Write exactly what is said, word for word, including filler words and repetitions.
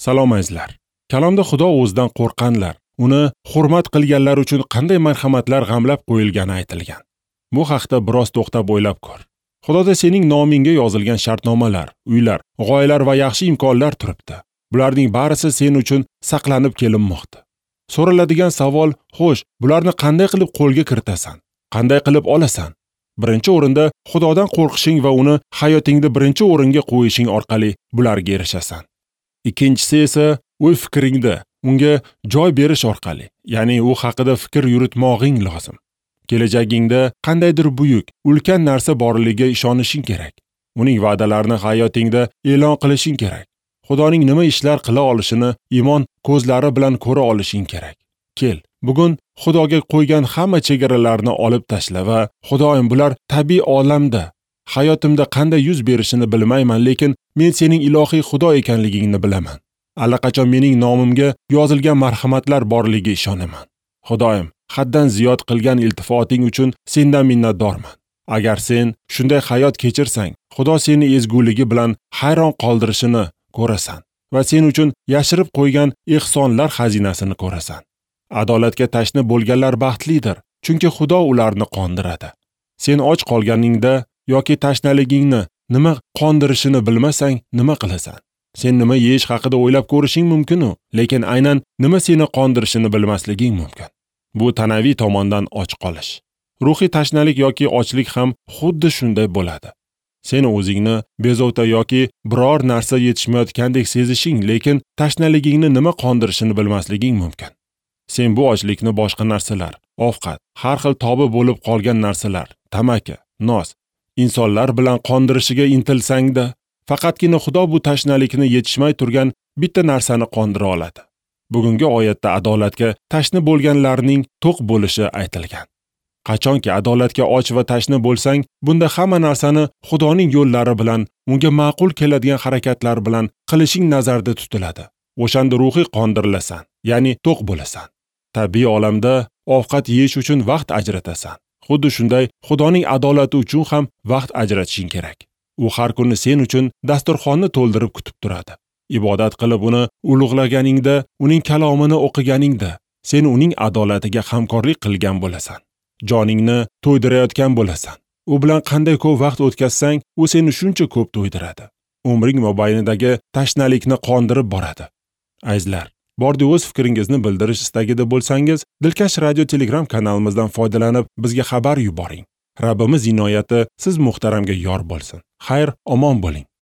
Salom azizlar. Kalomda Xudo o'zidan qo'rqqanlar, uni hurmat qilganlar uchun qanday marhamatlar g'amlab qo'yilgani aytilgan. Bu haqda biroz to'xtab o'ylab ko'r. Xudoda sening nomingga yozilgan shartnomalar, uylar, g'oyalar va yaxshi imkonlar turibdi. Bularning barisi sen uchun saqlanib kelinmoqda. So'raladigan savol, xo'sh, bularni qanday qilib qo'lga kiritasan? Qanday qilib olasan? Birinchi o'rinda Xudodan qo'rqishing va uni hayotingda birinchi o'ringa qo'yishing orqali bularga erishasan. Ikkinchisi esa o'y-fikringda unga joy berish orqali, ya'ni u haqida fikr yuritmog'ing lozim. Kelajagingda qandaydir buyuk, ulkan narsa borligiga ishonishing kerak. Uning va'dalarini hayotingda e'lon qilishing kerak. Xudoning nima ishlar qila olishini iymon ko'zlari bilan ko'ra olishing kerak. Kel, bugun Xudoga qo'ygan hamma chegaralarni olib tashla va Xudoyim, bular tabiiy olamda, hayotimda qanday yuz berishini bilmayman, lekin men sening ilohiy Xudo ekanligingni bilaman. Allaqachon mening nomimga yozilgan marhamatlar borligiga ishonaman. Xudoyim, haddan ziyod qilgan iltifoting uchun sendan minnatdorman. Agar sen shunday hayot kechirsang, Xudo seni ezguligi bilan hayron qoldirishini ko'rasan va sen uchun yashirib qo'ygan ehsonlar xazinasini ko'rasan. Adolatga tashna bo'lganlar baxtlidir, chunki Xudo ularni qondiradi. Sen och qolganingda yoki tashnaligingni nima qondirishini bilmasang, nima qilasan? Sen nima yeyish haqida o'ylab ko'rishing mumkin-u, lekin aynan nima seni qondirishini bilmasliging mumkin. Bu tanaviy tomondan och qolish. Ruhiy tashnalik yoki ochlik ham xuddi shunday bo'ladi. Sen o'zingni bezovta yoki biror narsa yetishmayotgandek sezishing, lekin tashnaligingni nima qondirishini bilmasliging mumkin. Sen bu ochlikni boshqa narsalar, ovqat, har xil tobi bo'lib qolgan narsalar, tamaki, nos, insonlar bilan qondirishiga intilsang-da, faqatgina Xudo bu tashnalikni yetishmay turgan bitta narsani qondira oladi. Bugungi oyatda adolatga tashna bo'lganlarning to'q bo'lishi aytilgan. Qachonki adolatga och va tashna bo'lsang, bunda hamma narsani Xudoning yo'llari bilan, unga ma'qul keladigan harakatlar bilan qilishing nazarda tutiladi. O'shanda ruhiy qondirilasan, ya'ni to'q bo'lasan. Tabiiy olamda ovqat yeyish uchun vaqt ajratasan. Xuddi shunday Xudoning adolati uchun ham vaqt ajratishing kerak. U har kuni sen uchun dasturxonni to'ldirib kutib turadi. Ibodat qilib uni ulug'laganingda, uning kalomini o'qiganingda, sen uning adolatiga hamkorlik qilgan bo'lasan. Joningni to'ydirayotgan bo'lasan. U bilan qanday ko'p vaqt o'tkazsang, u seni shuncha ko'p to'ydiradi. Umring mobaynidagi tashnalikni qondirib boradi. Azizlar, bordi o'z fikringizni bildirish istagida bo'lsangiz, Dilkash radio Telegram kanalimizdan foydalanib bizga xabar yuboring. Rabbimiz inoyati siz muhtaramga yor bo'lsin. Xayr, omon bo'ling.